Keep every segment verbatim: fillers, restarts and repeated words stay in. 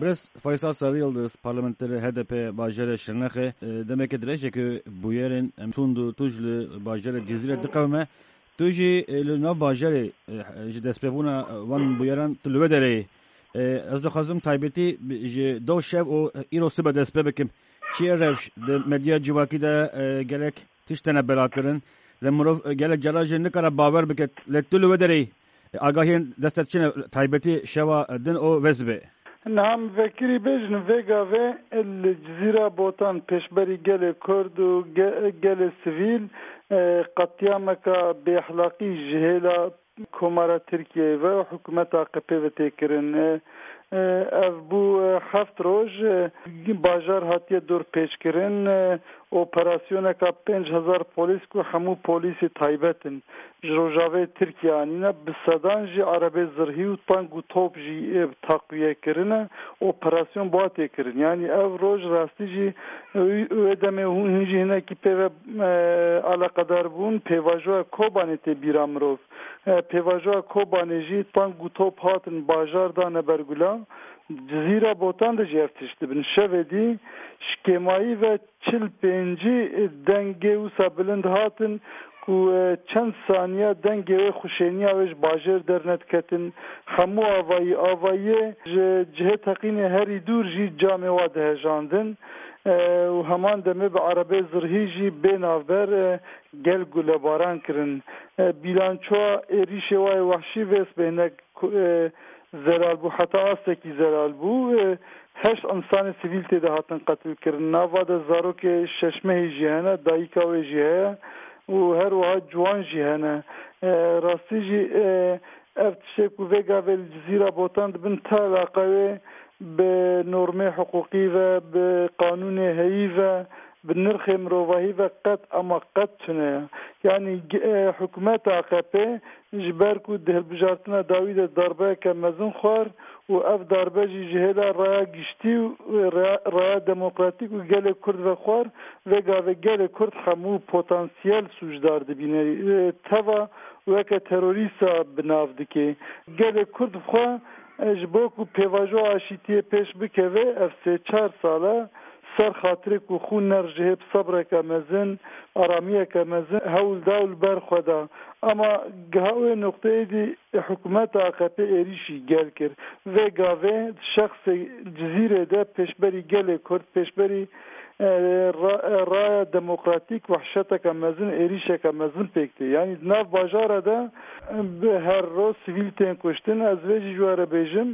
Birêz Faysal Sarıyıldız, parlamenterê H D P bajarê Şirnexê, e, demeke dirêj e ku bûyerên em tund û tûj li bajarê Cizîrê diqewime. Tu jî, e, li nav bajarê, e, ji destpêbûna, e, van bûyeran tu li wê derê yî. E, ez dixwazim taybetî bi, ji do şev û îro sibe dest pê bikim. Çi ye rewş di medya civakî de, e, gelek tişt tene belakirin. Lê mirov, e, gelek cara jî nikare bawer bike. Lê tu li wê derê yî. E, agahiyên dest te çi ne taybetî şewa din û vê sibê? Niha em vekirî bêjin, vê gavê li Cizîra Botan pêşberî gelê Kurd û ge-, gelê sivîl, e, qetlîameka bêexlaqî ji hêla Komara Tirkiyeyê ve û hikûmeta A K P ve tê kirin. E, e, ev bû, e, heft roj, e, bajar hatiye dorpêçkirin, e, operasyoneka pênc hezar polîs ku hemû polîsê taybet in, ji Rojavayê Tirkiye anîne, bi sedan jî erebê zirhî û tank û top jî, e, taqwiye kirine, operasyon bi wa tê kirin. Yanî ev roj rastî jî, e, wê demê hûn, hûn jî hinekî pê ve, e, eleqedar bûn, pêvajoya Kobanê tê bîra mirov. E, pêvajoya Kobanê jî tank û top hatin bajar dane ber gulan. Cizîra Botan de jî ev tişt dibin. Şevê dî ji kêmayî ve çil pêncî dengê wisa bilind hatin ku, e, çend saniya dengê wê xuşêniya wê ji bajêr dernediketin. Hemû avayî, avayiyê ji cihê teqînê herî dûr jî camê wa dihejandin. E, û heman demê bi erebê zirhî jî bê navber, e, gel gulebaran kirin. E, bîlançoya êrîşê wa yê wehşî vê sibê hinek ku, e, zelal bû, heta astekî zelal bû. E, heşt însanê sivîl tê de hatin qetilkirin. Nava de zarokê şeş mehî jî hene, dayika wê jî heye û her wiha ciwan jî hene. E, rastî jî, e, ev tiştê ku vê gavê li Cizîra Botan dibin ti eleqe wê bi normê hiqûqî ve, bi qanûnê heyî ve, bi nirxê mirovahî ve qet, ama qet tune ye. Yanî, e, hikûmeta A K P ji ber ku di hilbijartina dawî de darbeyeke mezin xwar û ev darbe jî ji hêla raya giştî û raya, raya demokratîk û gelê Kurd ve xwar, vê gavê gelê Kurd hemû potansiyel sûcdar dibîne. E, teva weke terorîsta bi nav dike. Gelê Kurd bi xwe, e, ji bo ku pêvajoya aşîtiyê pêş bikeve, ev sê çar sal e, ser xatirê ku xûn nerijihê bi sebreke mezin, aramiyeke mezin hewl da û li ber xwe da. Ama giha wê noqteyê dî hikûmeta A K P êrîşî gel kir. Vê gavê di şexsê Cizîrê de pêşberî gelê Kurd, pêşberî, e, ra-, e, raya demokratîk wehşeteke mezin, êrîşeke mezin pêk tê. Yanî di nav bajara de, e, bi her roj sivîl tên kuştin. Ez vê jî ji we re bêjim,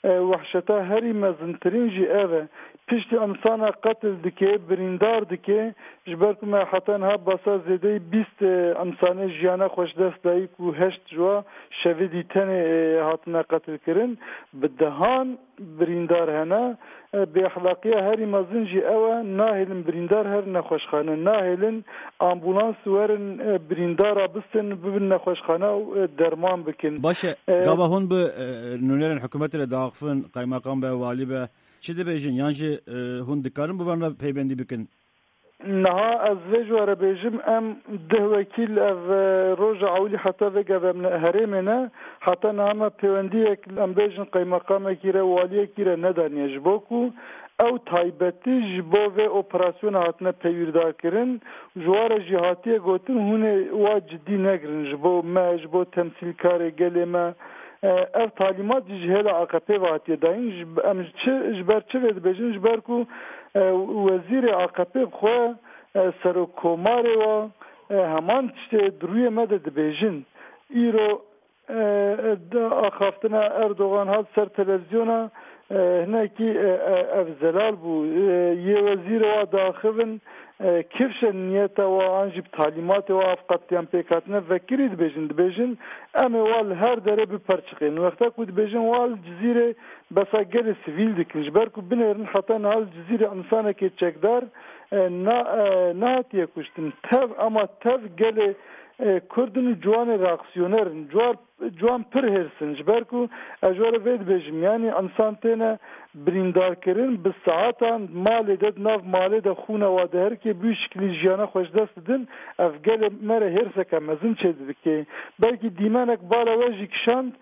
e, wehşeta herî mezintirîn jî ev e. Piştî insana qetil dike, birîndar dike, ji ber ku me heta niha basa zêdeyî bîst, e, insanê jiyana xwe ji dest dayî ku heşt ji wa şevê dî tenê, e, hatine qetilkirin, bi dehan birîndar hene. E, bêexlaqiya herî mezin jî ew e, nahêlin birîndar herin nexweşxane, nahêlin ambulans werin, e, birîndara bistin, bibin nexweşxane û, e, derman bikin. Baş e, E, gava hûn bi, e, nûnerên hikûmetê re diaxifin, qeymeqam be, walî be, çi dibêjin? Yan jî, e, hûn dikarin bi van re peybendî bikin? Niha ez vê ji we re bêjim, em deh wekîl ev, e, roja ewilî heta vê gavê em li herêmê ne. Heta niha me pêwendiyek, em bêjin qeymeqamekî re, waliyekî re nedaniye. Ji bo ku ew taybetî ji bo vê operasyona hatine peywîrdarkirin. Ji wa re jî hatiye gotin, hûn ê wa cidî negirin. Ji bo me, ji bo temsîlkarê gelê me, e, ev talîmat jî ji hêla A K P ve hatiye dayîn. Ji, em ji çi, ji ber çi vê dibêjin? Ji ber ku, e, wezîrê A K P bi xwe, e, serokkomarê wa, e, heman tiştê di rûyê me de dibêjin. Îro, e, e, axaftina Erdogan hat ser televîzyona, e, hinekî, e, e, ev zelal bû. E, yê wezîrê wa diaxivin, e, kifşe niyeta wa an jî bi talîmatê wa ev qetlîam pêk hatine vekirî dibêjin. Dibêjin, em ê wa li her derê biperçiqên. Wexta ku dibêjin wa li Cizîrê besa gelê sivîl dikin. Ji ber ku binêrin heta niha li Cizîrê insanekê çekdar, e, na, e, nehatiye kuştin. Tev, ama tev gelê, e, Kurd in û ciwanê reaksiyoner in. Ciwan, ciwan pir hêrs in. Ji ber ku ez ji we re vê dibêjim, yanî insan têne, birîndarkirin, bi saetan malê de, di nav malê de xûna wa diherike, bi wî şiklî jiyana xwe ji dest didin, ev gelê me re hêrseke mezin çêdibike. Belkî dîmenek bala we jî kişand,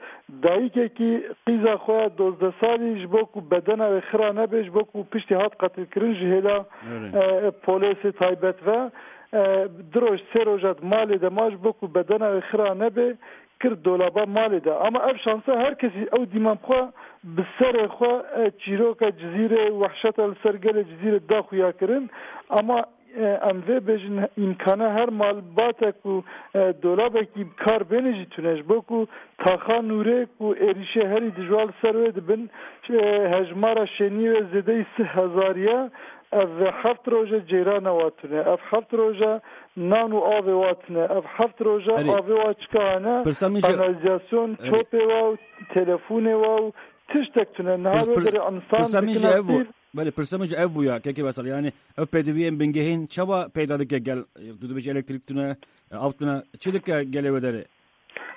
dayikekî qîza xwe ya dozdeh salî ji bo ku bedena wê xira nebe, ji bo ku piştî hat qetilkirin ji hêla, Öyle. e, polêsê taybet ve, e, du roj, sê roja di malê de ma ji bo ku bedena wê xira nebe, kir dolaba malê de. Ama ev şansa her kesî ew dîmen xwe bi serê xwe, e, çîroka Cizîrê, wehşeta li ser gelê Cizîrê da xuya kirin. Ama, e, em vê bêjin, îmkana her malbate ku, e, dolabekî bi kar bêne jî tune. Ji bo ku taxa nûrê ku êrîşê herî dijwar li ser wê dibin, e, hejmara şêniyê wê zêdeyî sih hezar ye. Ev heft roje cêrana wa tune. Ev heft roje nan û avê wa tune. Ev heft roje Erê. avê wa çika hene? Pirsa min ji Kanalizasyon, Erê. çopê wa û telefonê wa û tiştek tune. Niha Pirs-, wê pir-, derê insan pirsa min ji dikine ev bû. pîr. Belê, pirsa min ji ev bû ya, kekê Vesel. Yani ev pêdiviyên bingehîn çawa peyda dike gel? Tu dibêjî elektrik tune, av tune. Çi dike gelê wê derê?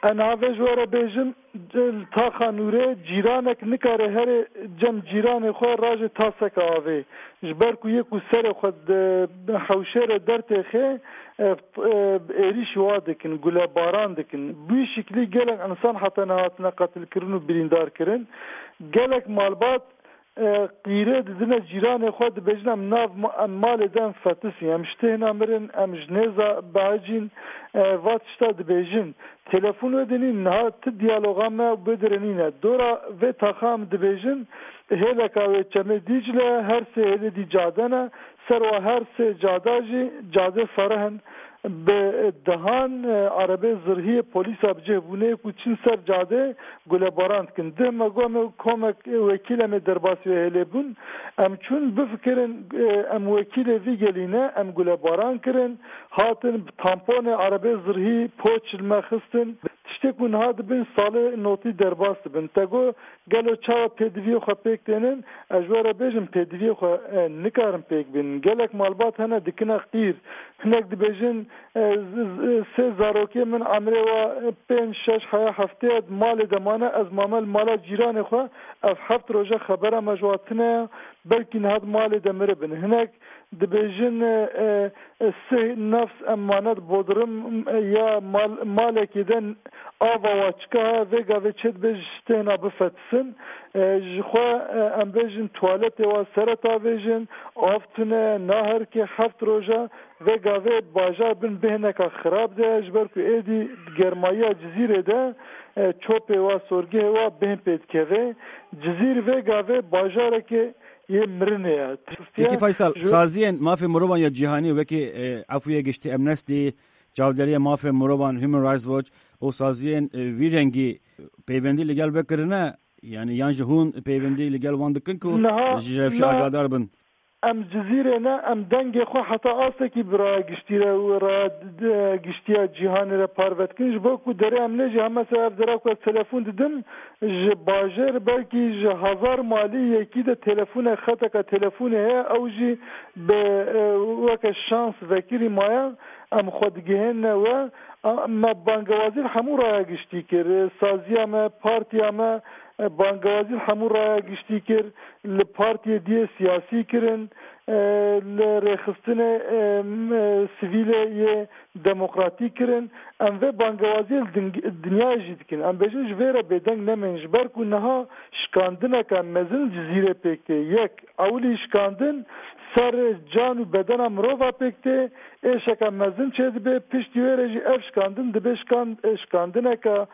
Em navê ji we re bêjin, li taxa nûrê cîranek nikare here cem cîranê xwe raje taseke avê. Ji ber ku yê ku serê xwe di hewşê re dertêxê, e, e, êrîşî wa dikin, gulebaran dikin. Bi wî şiklî gelek insan heta niha hatine qetilkirin û birîndar kirin. Gelek malbat, e, qîrê didine cîranê xwe, dibêjin, em nav ma-, em malê de em fetisîn, em ji têhna mirin, em ji nêza behecîn, e, va tişta dibêjin. Telefon wê dinîn, niha ti diyaloga me û bidirê nîne. Dora vê taxa em dibêjin, hêleka wê Çemê Dîcle, her sê hêlê dî cade ne, ser wa her sê cada jî cadê fereh in. Bi dehan, e, erebê zirhiyê polîsa bi cih bûnê ku çin ser cadê gulebaran dikin. Dih me got, me komek wekîl em ê derbasî wê hêlê bûn. Em çûn bifikirin, e, em wekîlê vî gelî ne, em gulebaran kirin, hatin bi tamponê erebê zirhî poç li me xistin. Tiştê ku niha dibin salê notî derbas dibin. Te got, gelo çawa pêdiviyê xwe pêk tênin? Ez ji we re bêjim, pêdiviyê xwe, e, nikarin pêk bînin. Gelek malbat hene dikine qîr. Hinek dibêjin, e, z-, z-, sê zarokê min emrê wa, e, pênc, şeş heya heftê ye, di malê de mane, ez mame li mala cîranê xwe, ev heft roje xebera me ji wa tune ye, belkî niha di malê de miribin. Hinek dibêjin, e, e, e, sih nefs em mane di bodrim, e, ya mal-, malekê de ava wa çika, vê gavê çê dibe ji têhna bifetisin. E, ji xwe, e, em bêjin tuwaletê wa sere tavêjin, av tune, naherike heft roja, vê gavê bajar bin bêhneka xirab de, ji ber ku êdî germayiya Cizîrê de, e, çopê wa, sorgehê wa bêhn pê dikeve. Cizîr vê gavê bajareke yê mirinê ye. Kekî Faysal, Ji saziyên mafê mirovan ya cîhanî wekî, e, Efûyê Giştî, Amnesty, Çavderiya Mafê Mirovan, Human Rights Watch û saziyên, e, vî rengî peywendî li gel vekirine, yani yan jî hûn peywendî li gel wan dikin ku Niha ji rewşê me agadar bin? Em Cizîrê ne, em dengê xwe heta astekî bi raya giştî re û raya d-, d-, giştiya cîhanê re parve dikin. Ji bo ku derê em nejî, hema ser ev dera ku ez telefon didim, ji bajêr belkî ji hezar malî yekî de telefone, xeteke telefonê heye, ew jî bi, e, weke şans vekirî maye, em xwe digihênine we. A, me bangewazî li hemû raya giştî kir. E, saziya me, partiya me, e, bangewazî li hemû raya giştî kir. Li partiyê diyê siyasî kirin, e, li rêxistinê, e, m-, e, sivîlê yê demokratîk kirin. Em vê bangewaziyê li ding-, dinyayê jî dikin. Em bêjin ji vê re bêdeng nemên, ji ber ku niha şikandineke mezin Cizîrê pêk tê. Yek, ewilî şikandin ser can û bedena mirova pêk tê, êşeke mezin çêdibe, piştî wê re jî ev şikandin dibe şikan-, şikandineke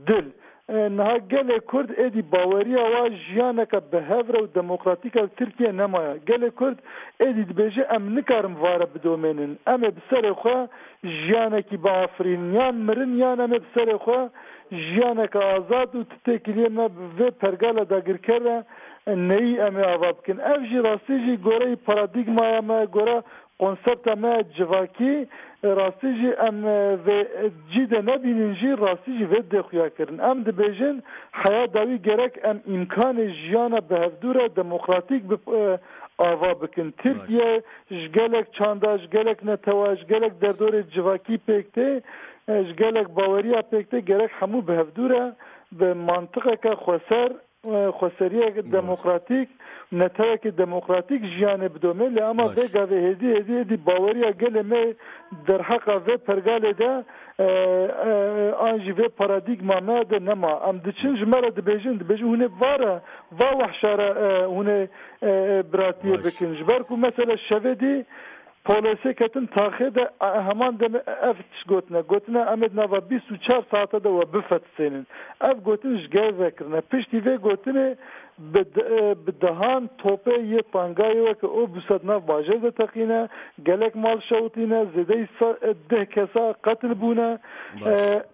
dil. E, niha gelê Kurd êdî baweriya wa jiyaneke bi hev re û demokratîk e li Tirkiye nemaye. Gelê Kurd êdî dibêje, em nikarin vare bidomênin. Em ê bi serê xwe jiyanekî biafirînin. Yan mirin, yan em ê bi serê xwe jiyaneke azad û ti têkiliyê me bi vê pergala dagirker re neyî em ê ava bikin. Ev jî rastî jî goreyî paradîgmaya me, gore konsepta me civakî, rastî jî em, e, vê cî de nebînin jî, rastî jî vê dê xuya kirin. Em dibêjin, heya dawî gerek em îmkanê jiyana bi hevdû re demokratîk bi, e, ava bikin. Tirkiye ji gelek çanda, ji gelek netewa, ji gelek derdorê civakî pêk tê, e, ji gelek baweriya pêk tê, gerek hemû bi hevdû re bi mantiqeke xweser e, xweseriyek demokratîk, netewekê demokratîk jiyanê bidome. Lê ama vê gavê hêdî, hêdî, hêdî baweriya gelê me derheqa vê pergalê de, e, e, an jî vê paradîgma me de nema. Em diçin ji me re dibêjin, dibêjin hûn ê vare, va wehşa re, e, hûn ê, e, e, biratiyê bikin. Ji ber ku mesela şevê dî polêsê ketin taxê de, e, heman demê ev tişt gotine. Gotine em ê di nava bîst û çar saete de we bifetisênin. Ev gotin ji gel vekirine. Piştî vê gotinê bi de-, e, bi dehan topê yê pangayê weke Obûsa di nav bajêr de teqîne, gelek mal şewitîne, zêdeyî sa-, e, deh kesa qetil bûne. E,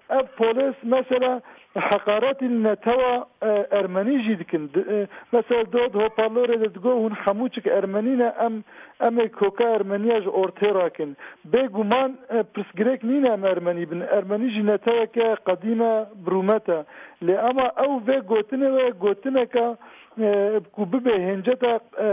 ev polês mesela heqaretî li netewa, e, ermenî jî dikin. Di-, e, mesela do di hoparlorê de digo hûn hemû çik ermenî ne, em, em ê koka ermeniya ji ortê rakin. Bêguman, e, pirsgirêk nîne em ermenî bin. Ermenî jî neteweke qedîm e, bi rûmet e. Lê ama ew vê gotinê we gotineka, e, ku bibe hênceta, e,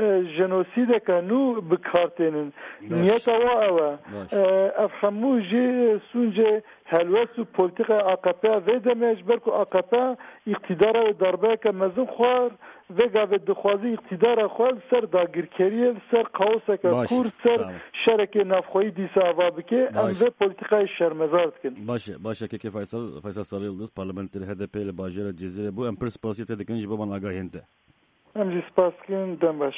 e, jenosîdeka nû bi kar tênin. Niyeta wa ew e. E, ev hemû jî sûncê helwest û polîtîkaya A K P ya vê demê ye, ji ber ku A K P îqtîdara wê darbeyeke mezin xwar, vê gavê dixwaze îqtîdara xwe li ser dagirkeriyê, li ser kaoseke kûr, li ser şerekê navxweyî dîsa ava bike. Em vê polîtîkayê şermezar dikin. Baş e, baş e, Kekê Faysal, Faysal Sarı Yıldız, parlamenter H D P li bajêra Cizîrê bû. Em pir spasiyê te dikin ji bo van agahiyên te. Em jî spas dikin, dem baş.